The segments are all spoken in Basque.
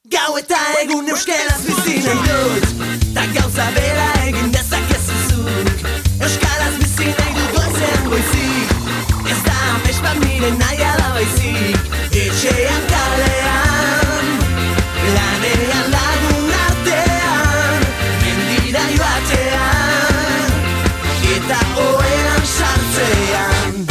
Gau eta egun euskaraz bizi nahi dut, ta gauza bera egin dezakezu zuk. Euskaraz bizi nahi dut goizean goizik, ez da amets bat nire nahi ala baizik. Etxean kalean, lanean lagun artean, mendira joatean, eta oean sartzean.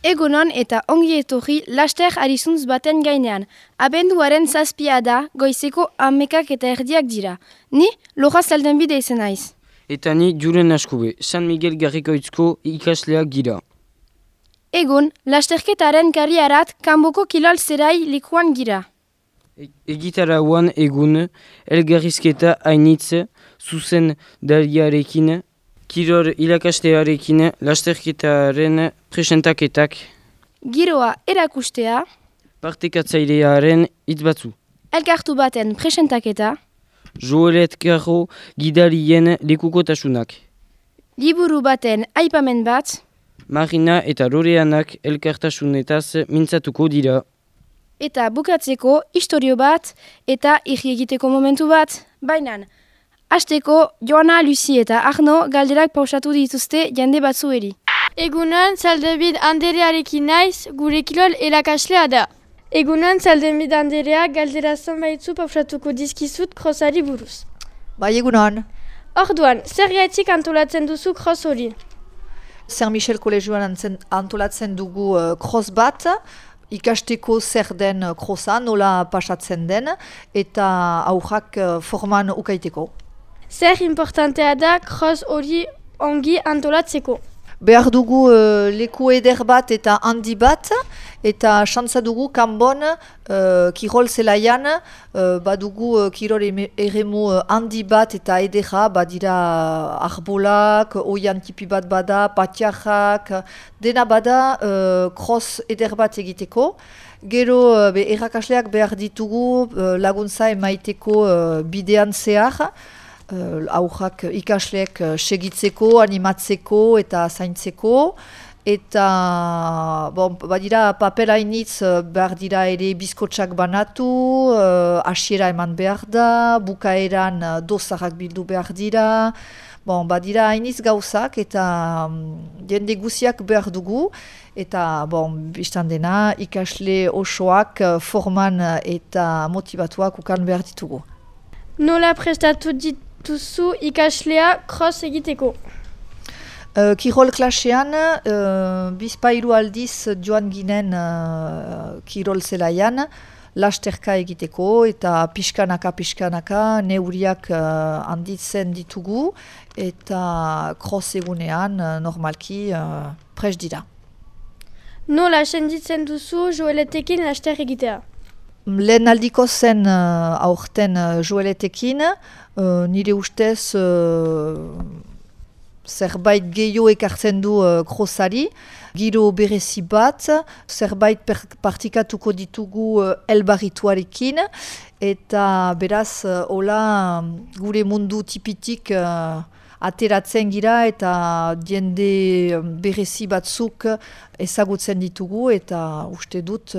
Egunon eta ongi etorri laster arizuntz baten gainean. Abenduaren 7 da, goizeko 11:00 dira. Ni Lora Zaldenbide izen naiz. Eta ni Julen Askube, San Miguel Garrikoitzko ikasleak gira. Egun, lasterketaren karriarat kanboko kilol zerai lekuan gira. Egitarauan egun, elgarrizketa hainitz, zuzen dariarekin, kiror ilakastearekin, lasterketaren presentaketak, Giroa erakustea, partekatzailearen hitz batzu, elkartu baten presentaketa, Joelet Garro gidarien lekukotasunak, liburu baten aipamen bat, Marina eta Loreanak elkartasunetaz mintzatuko dira. eta bukatzeko istorio bat eta irri egiteko momentu bat. Bainan, hasteko Joana, Luzi eta Arno galderak pausatu dituzte jende batzueri. Egunon Zaldebid Anderearekin naiz, gure kilol erakaslea da. Egunon Zaldebid Anderea galdera zonbaitzu pausatuko dizkizut krosari buruz. Bai, egunon. Orduan, zer gaitik antolatzen duzu kros hori? Saint Michel Kolegioan antolatzen dugu cross bat, ikasteko zer den crossa, nola pasatzen den, eta aurrak forman ukaiteko. Zer importantea da kros hori ongi antolatzeko? Behar dugu leku eder bat eta handi bat, eta xantza dugu kanbon kirol zelaian, badugu kirol eremu handi bat eta edera, badira arbolak, oian tipi bat bada, patiarrak, dena bada cross eder bat egiteko. Gero errakasleak behar ditugu laguntza emaiteko bidean zehar, aurrak ikasleek segitzeko, animatzeko eta zaintzeko. Eta badira papel hainitz behar dira ere bizkotxak banatu, hasiera eman behar da, bukaeran dosarrak bildu behar dira. Badira hainitz gauzak eta jende guziak behar dugu. Eta biztan dena ikasle osoak forman eta motivatuak ukan behar ditugu. Nola prestatu dituzu ikaslea cross egiteko? Kirol klasean, bizpairu aldiz joan ginen kirol zelaian, lasterka egiteko eta pixkanaka neuriak handitzen ditugu eta cross egunean normalki prest dira. Nola senditzen duzu Joeletekin laster egitea? Lehen aldiko zen aurten Joeletekin, nire ustez zerbait gehiago ekartzen du krosari, giro berezi bat, zerbait partikatuko ditugu elbarrituarekin, eta beraz hola gure mundu tipitik ateratzen gira eta jende berezi batzuk ezagutzen ditugu eta uste dut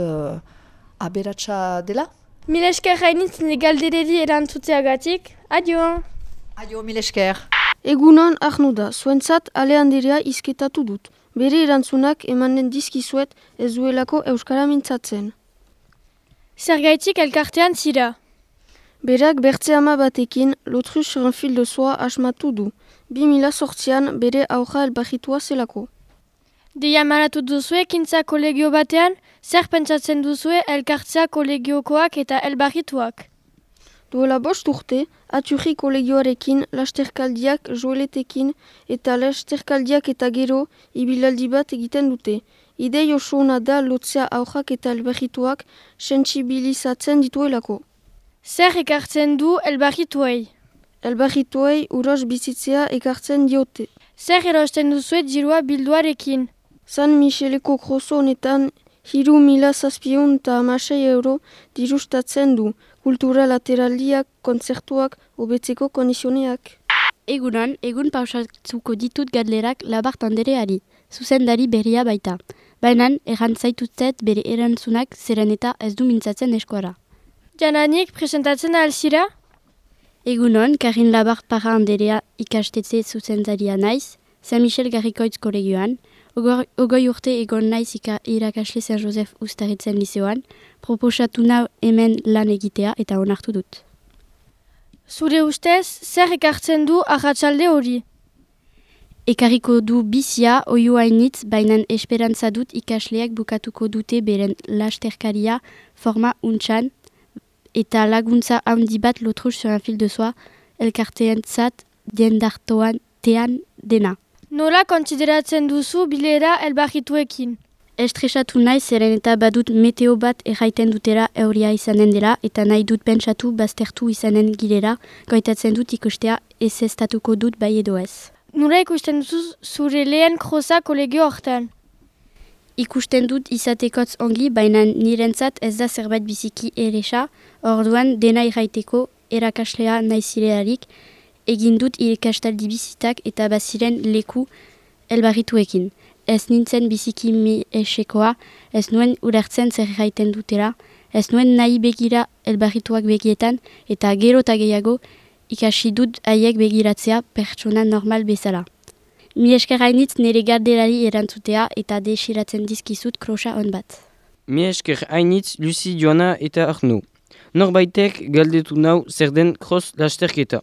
aberatsa dela. Mil esker hainitz galdereri erantzuteagatik. Adio! Adio, mil esker! Egunon Arno da, zuentzat ale handirea izketatu dut. Bere erantzunak emanen dizkizuet ez duelako euskara mintzatzen. Zergaitik elkartean zira? Berak bertze ama batekin L'Autruche sur un fil de soie asmatu du. 2008an bere aurra elbarritua zelako. Deia maratu duzue kintza kolegio batean, zer pentsatzen duzue elkartzea kolegiokoak eta elbarrituak? Duela 5 urte, Aturri kolegioarekin, lasterkaldiak Joeletekin eta lasterkaldiak eta gero ibilaldi bat egiten dute. Idei oso ona da lotzea aurrak eta elbarrituak sentsibilizatzen dituelako. Zer ekartzen du elbarrituei? Elbarrituei uros bizitzea ekartzen diote. Zer erosten duzue dirua bilduarekin? San Micheleko kroso honetan 3.716 euro dirustatzen du. Kultura lateraldiak, kontzertuak, hobetzeko kondizioneak. Egun pausatuko ditut galderak Labart Andereari, zuzendari berria baita. Baina errantzaituzet bere erantzunak zeren eta ez du mintzatzen eskuara. Jananik, presentatzen alzira? Egunon, Karin Labart Parra Anderea ikastetxe zuzendaria naiz, San Michel Garrikoitz kolegioan, ogoi urte egon naiz irakasle San Josef Ustaritzen liceoan, proposatu nau hemen lan egitea eta onartu dut. Zure ustez, zer ekartzen du arratsalde hori? Ekarriko du bizia oiu hainitz, bainan esperantza dut ikasleak bukatuko dute beren lasterkaria forma untxan, eta laguntza handi bat l'Autruche sur un fil de soie, elkarteentzat diendartoan tean dena. Nola konsideratzen duzu bilera elbarrituekin? Estresatu naiz zeren eta badut meteo bat erraiten dutera euria izanen dela eta nahi dut pentsatu baztertu izanen girela, goitatzen dut ikustea ezeztatuko dut bai edo ez. Nola ikusten duzu zure lehen krosa kolegio hortan? Ikusten dut izatekotz ongi, baina nirentzat ez da zerbait biziki eresa, orduan dena irraiteko erakaslea naizilerarik, egin dut ikastaldi bizitak eta baziren leku elbarrituekin. Ez nintzen biziki mi esekoa, ez nuen ulertzen zer irraiten dutela, ez nuen nahi begira elbarrituak begietan, eta gero eta gehiago ikasi dut haiek begiratzea pertsona normal bezala. Mi esker hainitz nire gardelari erantzutea eta desiratzen dizkizut krosa on bat. Mi esker hainitz Lucy, Joana eta Arno. Norbaitek galdetu nau zer den kros lasterketa.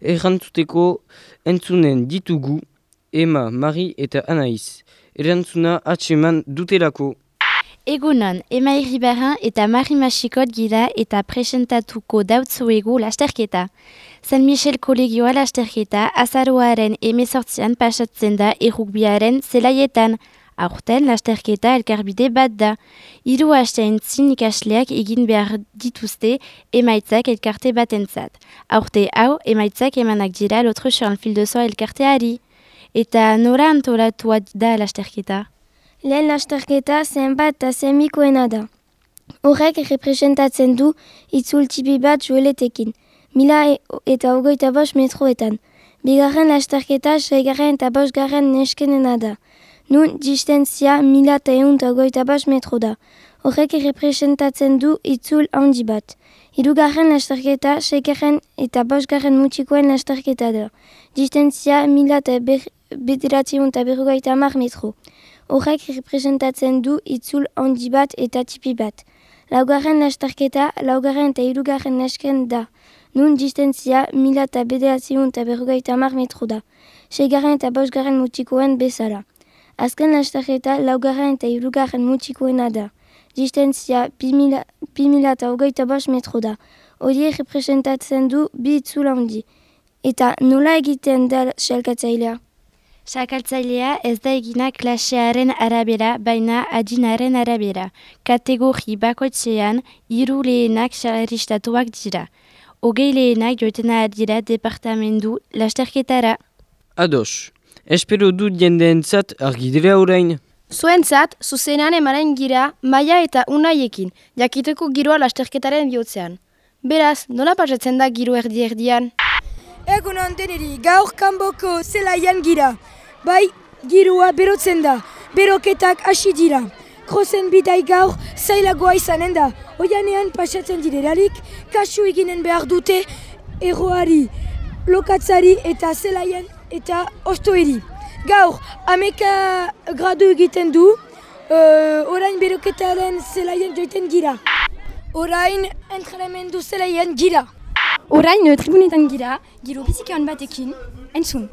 Erantzuteko entzunen ditugu Emma, Mari eta Anaiz. Erantzuna atseman dutelako. Egunon, Emma Iribarren eta Mari Masikot gira eta presentatuko dautzuegu lasterketa. San Michel kolegioa lasterketa azaroaren 18an pasatzen da errugbiaren zelaietan. Aurten lasterketa elkarbide bat da. 3 asteantzin ikasleak egin behar dituzte emaitzak elkarte batentzat. Aurte hau emaitzak emanak dira l'Autruche sur un fil de soie elkarteari. Eta nora antolatua da lasterketa? Lehen lasterketa zenbat eta semikoena da. Horrek representatzen du itzultipi bat joeletekin, 1025 metroetan. Bigarren lasterketa 6. eta 5. neskenena da. Nun distantzia 1125 metro da. Horrek representatzen du itzul handi bat. Hirugarren lasterketa 6. eta 5. mutikoen lasterketa da. Distantzia 1950 metro. Horrek representatzen du itzul handi bat eta tipi bat. Laugarren lasterketa 4. eta 3. nesken da. Nun distantzia 1950 metro da. 6. eta 5. mutikoen bezala. Azken lasterketa 4. eta 3. mutikoena da. Distantzia 2025 metro da. Hori representatzen du bi itzul handi. Eta nola egiten da xalkatzailea? Xakaltzailea ez da egina klasearen arabera, baina adinaren arabera. Kategori bakoitzean 3 lehenak xalaristatuak dira. 20 lehenak joitena dira departamendu lasterketara. Ados, espero dut jendeentzat argi dira orain. Zuentzat, zuzenean emanen gira Maia eta Unaiekin, jakiteko giroa lasterketaren bihotzean. Beraz, nola pasatzen da giro erdi-erdian? Egunon deneri, gaur kanboko zelaian gira. Bai, giroa berotzen da, beroketak hasi dira. Krozen bidai gaur zailagoa izanen da. Oianean pasatzen direlarik, kasu eginen behar dute erroari, lokatzari eta zelaian eta ostoeri. Gaur, 11 gradu egiten du, orain beroketaren zelaian joiten gira. Orain entrenamendu zelaian gira. Orain tribunetan gira, giro bizikean batekin, entzun.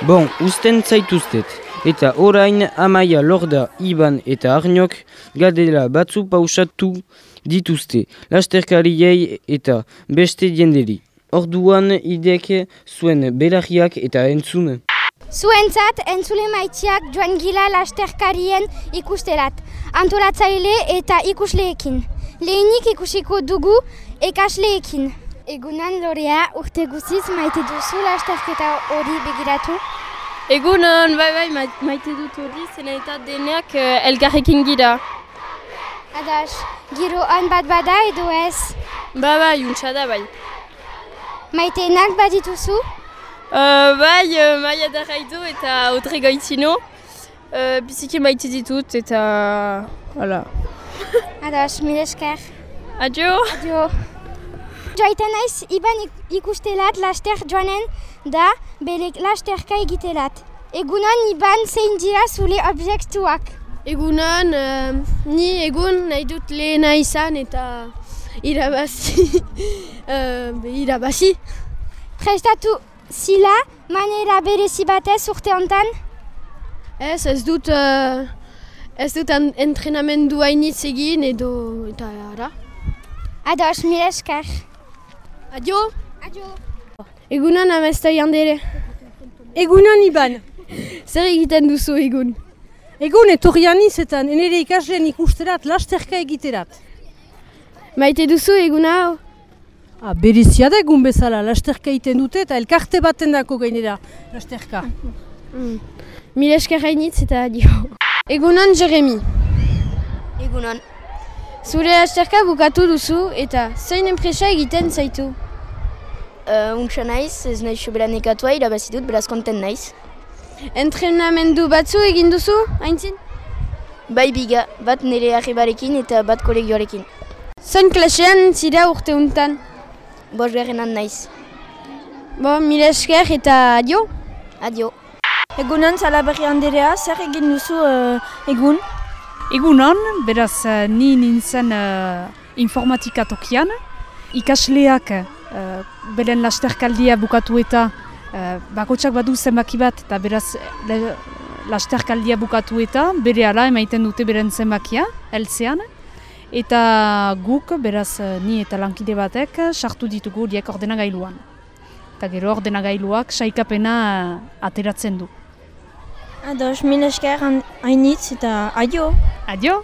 Bon, usten zaituztet. Eta orain Amaia, Lorda, Iban eta Arnok galdera batzu pausatu dituzte, lasterkariei eta beste jenderi. Orduan ideke zuen belarriak eta entzun. Zuentzat entzule maitiak joan gila lasterkarien ikusterat, antolatzaile eta ikusleekin. Lehenik ikusiko dugu ekasleekin. Egunan Lorea, urte guziz maite duzu lasterketa hori begiratu? Egunon, bai, maite dut hori, zena eta denak elgarrekin gira. Adas, giro han bat bada edo ez? Bai, untsa da bai. Maiteenak badituzu? Maia Daraido eta Audrey Goitzino. Biziki maite ditut eta... Hala. Ados, mil esker. Adio. Adio. Joaiten naiz, iban ikustelat laster joanen da bere lasterka egitelat. Egunan iban zein dira zule objektuak. Egunan, ni egun nahi dut lehena izan eta irabazi. Irabazi. Prestatu zila, manera berezi batez urte hontan? Ez dut entrenamendu hainitz egin edo eta ara. Ados, mil esker. Adio. Adio. Egunan amestai handere. Egunan iban. Zer egiten duzu egun? Egun etorrianiz eta nire ikasleen ikusterat lasterka egiterat. Maite duzu egun hau? Berezia da egun bezala, lasterka egiten dute eta elkarte baten dako gainera lasterka. Mil esker hainitz eta adio. Egunan Jeremy. Egunan. Zure lasterka bukatu duzu eta zein enpresa egiten zaitu? Untsa naiz, ez nahi sobera nekatua irabazitut, beraz konten naiz. Entrenamendu batzu egin duzu, haintzin? Bai biga, bat nire arribarekin eta bat kolegioarekin. Zein klasean zira urte untan? Bosgarrenan naiz. Mil esker eta adio? Adio. Egunan, Salaberri Anderea, zer egin duzu egun? Egunan, beraz ni nintzen informatika tokian. Ikasleak beren lasterkaldia bukatu eta bakotsak badu zenbaki bat eta beraz lasterkaldia bukatu eta berehala emaiten dute beren zenbakia, heltzean. Eta guk, beraz ni eta lankide batek, sartu ditugu horiek ordenagailuan. Eta gero ordenagailuak saikapena ateratzen du. Ados, mil esker hainitz eta adio. Adio.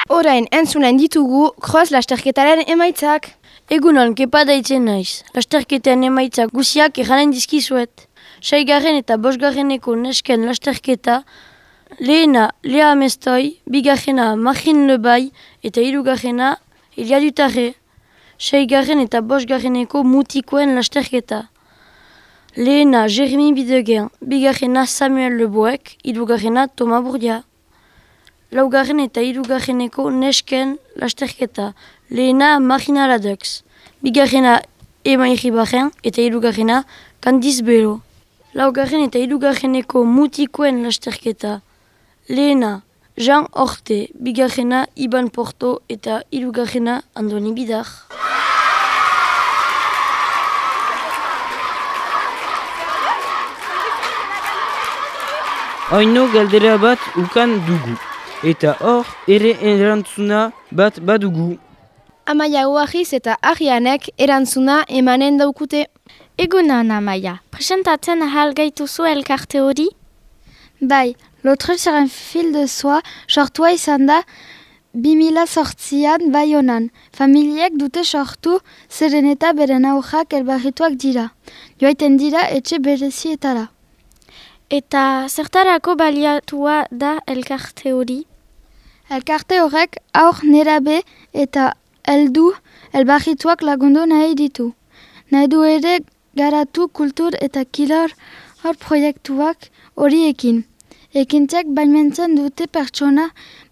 Orain entzunen ditugu cross lasterketaren emaitzak. Egunon, kepa daitzen naiz. Lasterketen emaitzak guziak erranen dizkizuet. 6. eta 5. nesken lasterketa, lehena Lea Amestoi, 2. Marine Lebai eta 3. Elia Dutarre. 6. eta 5. mutikoen lasterketa. Lehena Jeremy Bidegen, 2. Samuel Leboek, 3. Thomas Bourdia. 4. eta 3. nesken lasterketa. Lehena Marina Ladux, 2. Emma Iribarren eta 3. Candice Belo. 4. eta 3. mutikoen lasterketa. Lehena Jean Horte, 2. Iban Porto eta 3. Andoni Bidar. Oino galdera bat ukan dugu. Eta hor ere erantzuna bat badugu. Amaia Oahiz eta Arianek erantzuna emanen daukute. Egunan, Amaia. Presentatzen ahal gaituzu elkarte hori? Bai, L'autre sur un fil de soie sortua izan da 2008an Baionan. Familiek dute sortu zeren eta beren aurrak elbarrituak dira. Joaiten dira etxe berezietara. Eta zertarako baliatua da elkarte hori? Elkarte horrek aur nerabe eta heldu elbarrituak lagundu nahi ditu. Nahi du ere garatu kultur eta kilor hor proiektuak horiekin. Ekintzak baimentzen dute pertsona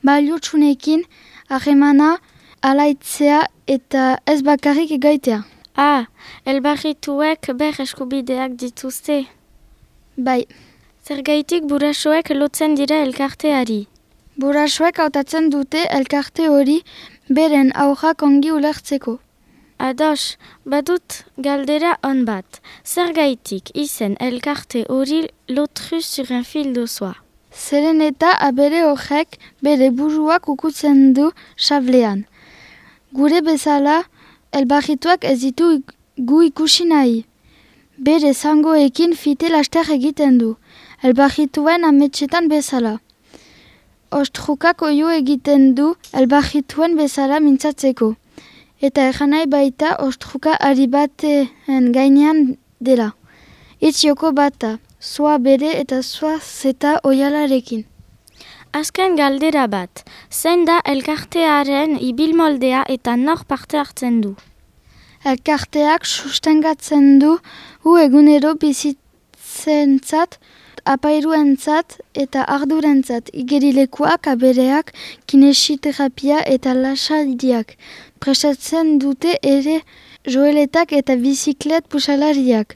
baliotsunekin harremana alaitzea eta ez bakarrik egaitea. Elbarrituek ber eskubideak dituzte. Bai. Zergaitik burasoek lotzen dira elkarteari? Burasoek hautatzen dute elkarte hori beren aurrak ongi ulertzeko. Ados, badut galdera on bat. Zergaitik izen elkarte hori lotru sur un fil de soie. Zeren eta abere horrek bere buruak ukutzen du sablean. Gure bezala, elbarrituak ez ditu gu ikusi nahi. Bere zangoekin fite laster egiten du, elbarrituen ametsetan bezala. Ostrukak oio egiten du elbarrituen bezala mintzatzeko. Eta erranai baita ostruka ari baten gainean dela. Itzioko bata. Soa bere eta soa zeta oialarekin. Azken galdera bat, zein da elkartearen ibilmoldea eta nor parte hartzen du? Elkarteak sustengatzen du egunero bizitzentzat, apairuentzat eta ardurentzat, igerilekuak, abereak, kinesiterapia eta lasaidiak. Prestatzen dute ere joeletak eta biziklet pusalariak.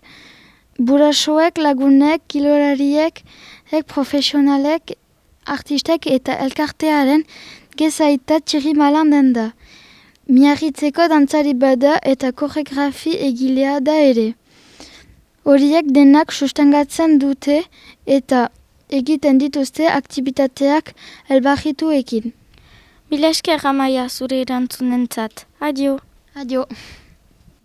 Burasoek, lagunek, kilolariek, profesionalek, artistek eta elkartearen gezaita txirimalan den da. Miarritzeko dantzari bada eta koreografi egilea da ere. Horiek denak sustengatzen dute eta egiten dituzte aktibitateak elbarrituekin. Mila esker Amaia zure erantzunentzat. Adio. Adio.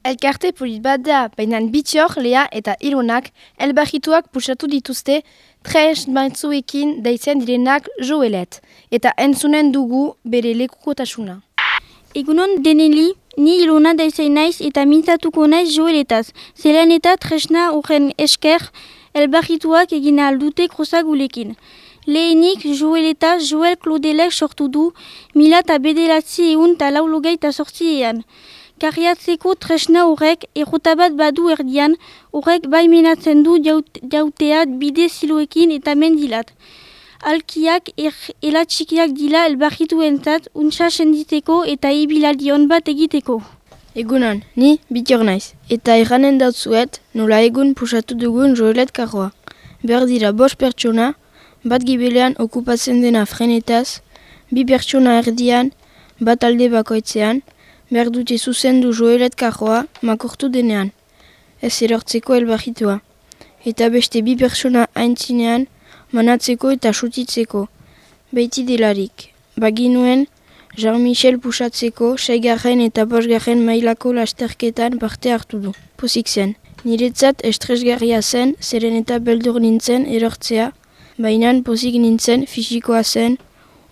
Elkarte polit bat da, baina Bitxor, Lea eta Ilonak elbarrituak pusatu dituzte tres batzuekin daitzen direnak joelet, eta entzunen dugu bere lekukotasuna. Egunon deneli, ni Ilona daizen naiz eta mintzatuko naiz joeletaz. Zelan eta tresna horren esker elbarrituak egin aldute krozagulekin. Lehenik joeletaz Joel Klodelek sortu du 1998 Karriatzeko tresna horrek errotabat badu erdian, horrek baimenatzen du jauteat bide ziloekin eta mendilat. Alkiak elatxikiak dila elbarrituentzat untsa senditeko eta ibilaldion bat egiteko. Egunon, ni Bitxor naiz, eta erranen dautzuet nola egun pusatu dugun joelet karroa. Behar dira 5 pertsona, bat gibelean okupatzen dena frenetaz, 2 pertsona erdian, bat alde bakoitzean, behar dute zuzendu joelet karroa makortu denean, ez erortzeko elbarritua. Eta beste 2 pertsona aintzinean, manatzeko eta sutitzeko, beiti delarik. Baginuen, Jean-Michel pusatzeko 6. eta 5. mailako lasterketan parte hartu du. Pozik zen. Niretzat estresgarria zen, zeren eta beldur nintzen erortzea, baina pozik nintzen fisikoa zen,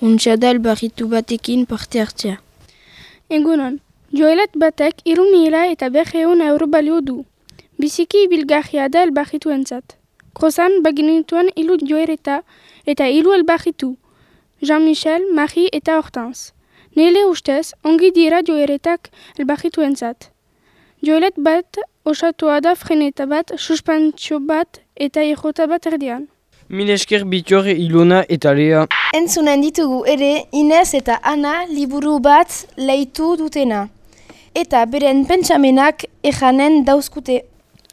untxada elbarritu batekin parte hartzea. Egunon, joelet batek 3.500 euro balio du. Biziki ibilgarria da elbarrituentzat. Krozan baginituen 3 joereta eta 3 elbarritu. Jean-Michel, Marie eta Hortense. Nele ustez, ongi dira joeretak elbarrituentzat. Joelet bat osatua da freneta bat, suspentsio bat eta errota bat erdian. Mil esker Bitxor, Ilona eta Lea. Entzunen ditugu ere Inez eta Ana liburu bat leitu dutena. Eta beren pentsamenak ejanen dauzkute.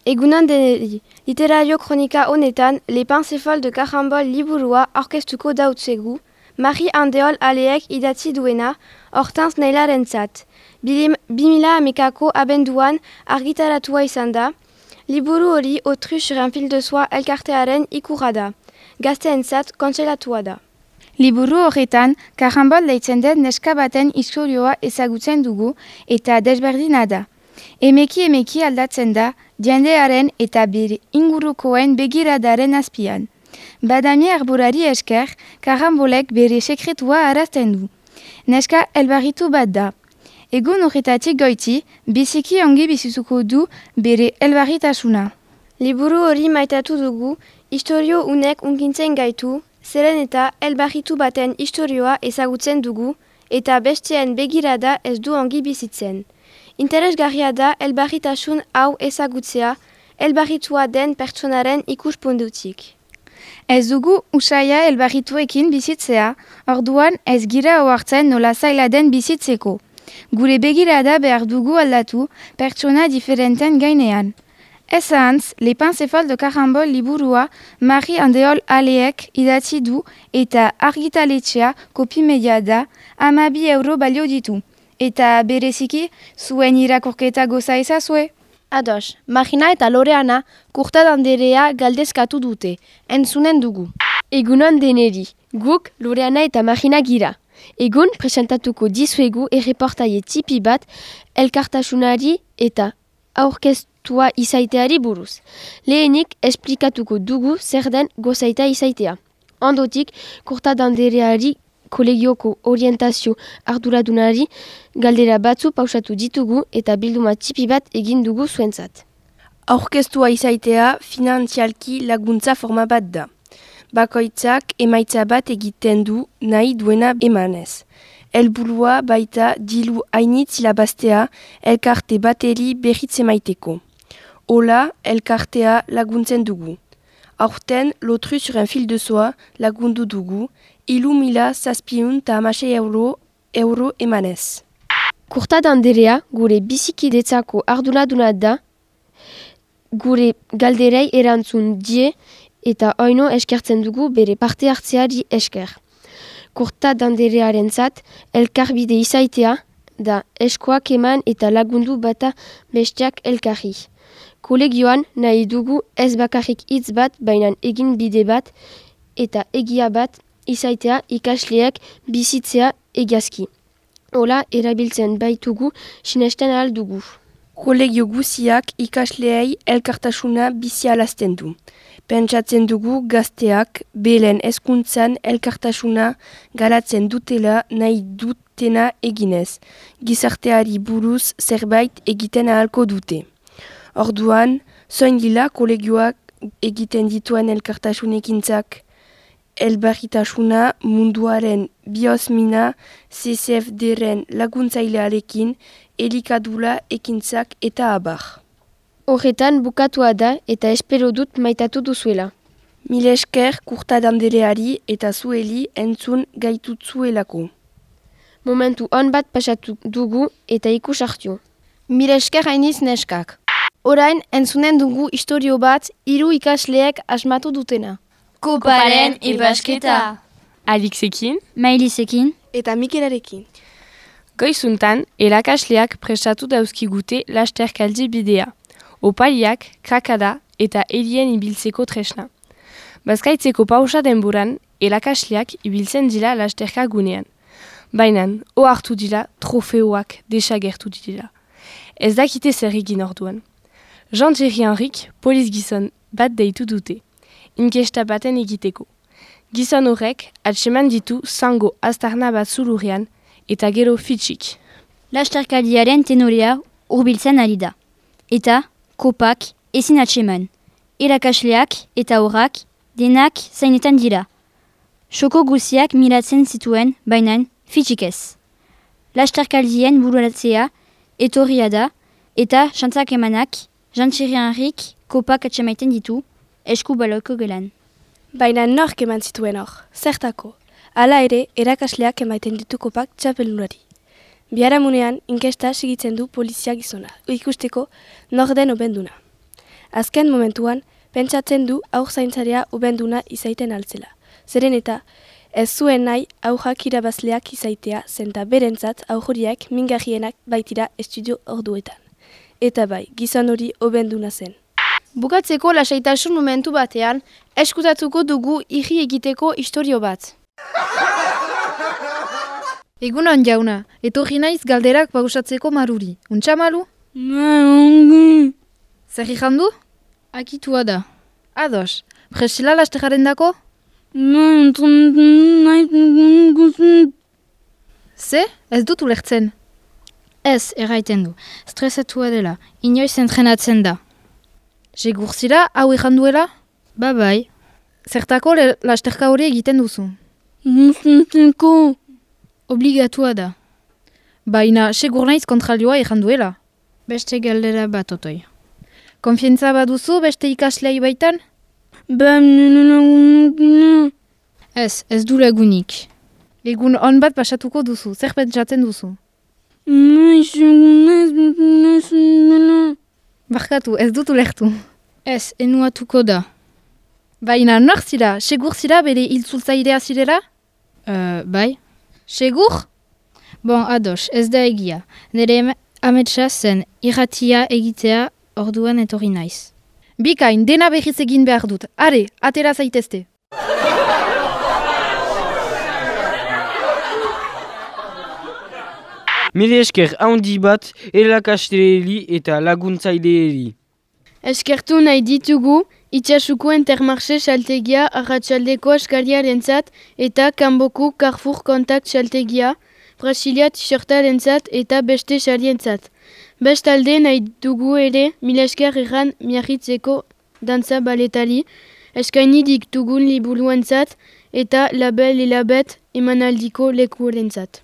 Egunan deneri, literario kronika honetan, Le Pansefol de Karambol liburua orkestuko dautzegu, Marie Andeol aleek idatzi duena, Hortense Nailarentzat. 2000ko abenduan argitaratua izan da, liburu hori Autruche sur un fil de soie elkartearen ikurra da. Gazteentzat kontselatua da. Liburu horretan, Karambol deitzen den neska baten istorioa ezagutzen dugu eta desberdina da. Emeki aldatzen da, jendearen eta bere ingurukoen begiradaren azpian. Badami arborari esker, Karambolek bere sekretua arazten du. Neska elbarritu bat da. Egun horretatik goiti, biziki ongi bizizuko du bere elbarritasuna. Liburu hori maitatu dugu, istorio unek unkintzen gaitu, zeren eta elbarritu baten istorioa ezagutzen dugu, eta besteen begirada ez du ongi bizitzen. Interesgarria da elbarritasun hau ezagutzea, elbarritua den pertsonaren ikuspundutik. Ez dugu usaia elbarrituekin bizitzea, orduan ez gira ohartzen nola zaila den bizitzeko. Gure begirada behar dugu aldatu pertsona diferenten gainean. Ez ahantz, Le Pansefol de Karambol liburua Marie Andeol aleek idatzi du eta argitaletxea kopimedia da 12 euro balio ditu. Eta bereziki, zuen irakurketa goza ezazue. Ados, Marina eta Loreana kurtadanderea galdezkatu dute, entzunen dugu. Egunon deneri, guk Loreana eta Marina gira. Egun presentatuko dizuegu erreportaie tipi bat elkartasunari eta aurkeztua izaiteari buruz. Lehenik esplikatuko dugu zer den gozaita izaitea. Ondotik, kurtadandereari kolegioko orientazio arduradunari galdera batzu pausatu ditugu eta bilduma tipi bat egin dugu zuentzat. Aurkeztua izaitea finantzialki laguntza forma bat da. Bakoitzak emaitza bat egiten du nahi duena emanez. Helburua baita dilu hainitz ilabaztea elkarte bateri berritze maiteko. Hola, elkartea laguntzen dugu. Aurten, lotru sur un fil de soie lagundu dugu, 3.706 euro emanez. Kurta Anderea, gure bizikidetzako arduraduna da, gure galderei erantzun die eta oino eskertzen dugu bere parte hartzeari esker. Kurta Anderearentzat elkarbide izaitea da eskoak eman eta lagundu bata besteak elkarri. Kolegioan nahi dugu ez bakarrik hitz bat bainan egin bide bat eta egia bat izaitea ikasleak bizitzea egiazki. Hola erabiltzen baitugu sinesten ahal dugu. Kolegio guziak ikasleei elkartasuna bizialazten du. Pentsatzen dugu gazteak belen hezkuntzan elkartasuna garatzen dutela nahi dutena eginez. Gizarteari buruz zerbait egiten ahalko dute. Orduan, zoin dila kolegioak egiten dituen elkartasunekintzak. Elbarritasuna munduaren biosmina CCFD-ren laguntzailearekin elikadula ekintzak eta abar. Horretan bukatua da eta espero dut maitatu duzuela. Mil esker Kurta Andereari eta zueli entzun gaitutzuelako. Momentu on bat pasatu dugu eta ikus hartu. Mil esker hainiz neskak. Orain entzunen dugu istorio bat 3 ikasleek asmatu dutena. Koparen ibasketa. Alixekin, Mailisekin eta Mikelarekin. Goizuntan, erakasleak prestatu dauzkigute lasterkaldi bidea. Opariak, krakada eta elien ibiltzeko tresna. Bazkaitzeko pausa denboran, erakasleak ibiltzen dila lasterka gunean. Bainan, ohartu dila trofeoak desagertu dila. Ez dakite zer egin orduan. Jean-Thierry Henrik, poliz gizon bat deitu dute. Inkesta baten egiteko. Gizon horrek atseman ditu zango aztarna bat zulurrean eta gero fitxik. Lasterkaldiaren tenorea hurbiltzen ari da. Eta kopak ezin atseman. Irakasleak eta horrak denak zainetan dira. Xoko guziak miratzen zituen bainan fitxik ez. Lasterkaldien bururatzea etorria da eta xantzak emanak Jean-Thierry Henrik kopak atsemaiten ditu esku baloko gelan. Baina nork eman zituen hor, zertako. Hala ere, erakasleak emaiten ditu kopak txapelunari. Biharamunean, inkesta segitzen du polizia gizona, ikusteko nor den obenduna. Azken momentuan, pentsatzen du aur zaintzarea obenduna izaiten altzela. Zeren eta, ez zuen nahi aurrak irabazleak izaitea zenta berentzat aurriak mingarrienak baitira estudio orduetan. Eta bai, gizon hori obenduna zen. Bukatzeko lasaitasun momentu batean, eskutatuko dugu irri egiteko istorio bat. Egunon jauna, etorri naiz galderak pausatzeko maruri. Untxa malu? Zer ikandu? Akitua da. Ados, presila lasteraren dako? Ze? Ez dut ulertzen. Ez, erraiten du. Stresatua dela, inoiz entrenatzen da. Segurzira hau ikanduela? Ba bai. Zertako lasterka hori egiten duzu? Obligatua da. Baina, segur naiz kontralioa ikanduela? Beste galdera bat otoi. Konfientza baduzu beste ikaslei baitan? Ez du lagunik. Egun on bat pasatuko duzu, zer pentsatzen duzu? Barkatu, ez dut ulertu. Ez, enuatuko da. Baina nor zira, segur zira bere hiltzultzailea zirela? Bai. Segur? Bon, ados, ez da egia. Nere ametsa zen irratia egitea orduan etorri naiz. Bikain, dena berriz egin behar dut. Are, atera zaitezte. Mile esker handi bat erakasleeri eta laguntzaileeri. Eskertu nahi ditugu, itxasuko Intermarché saltegia arratsaldeko askariarentzat eta kanboko Carrefour Contact saltegia, Brasilia t-shirtarentzat eta beste sarientzat. Bestalde nahi dugu ere mila esker erran miarritzeko dantza baletari, eskaini ditugun liburuentzat eta label elabet emanaldiko lekurentzat.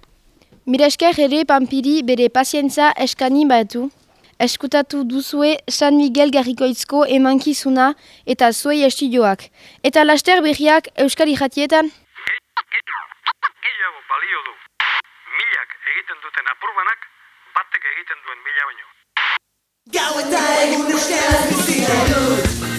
Miresker ere Pampiri bere pazientza eskani batu. Eskutatu duzue San Miguel Garrikoitzko emankizuna eta zuei estudioak. Eta laster berriak Euskari Jatietan? Gehiago balio du. Milak egiten duten apurbanak, batek egiten duen mila baino. Gau eta egun euskaraz bizi dut.